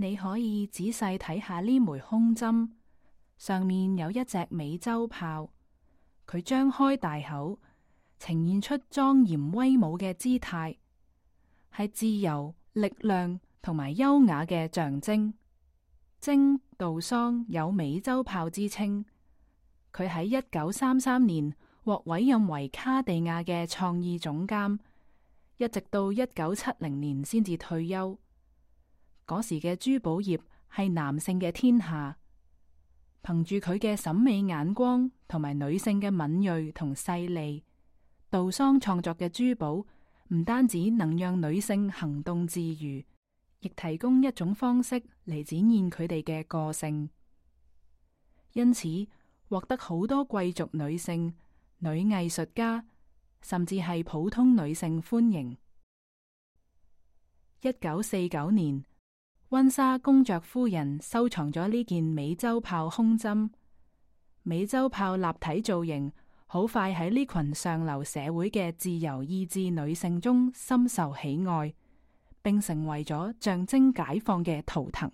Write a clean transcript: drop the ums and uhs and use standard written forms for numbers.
你可以仔細睇下呢枚胸針，上面有一隻美洲豹，佢張開大口，呈現出莊嚴威武嘅姿態，係自由、力量同埋優雅嘅象徵。精杜桑有美洲豹之稱，佢喺1933年獲委任為卡地亞嘅創意總監，一直到1970年先至退休。嗰時嘅珠寶業係男性嘅天下，憑住佢嘅審美眼光同埋女性嘅敏銳同細膩，杜桑創作嘅珠寶唔單止能讓女性行動自如，亦提供一種方式嚟展現佢哋嘅個性，因此獲得好多貴族女性、女藝術家，甚至係普通女性歡迎。1949年，溫莎公爵夫人收藏咗呢件美洲豹胸針。美洲豹立體造型好快喺呢群上流社會嘅自由意志女性中深受喜愛，並成為咗象徵解放嘅圖騰。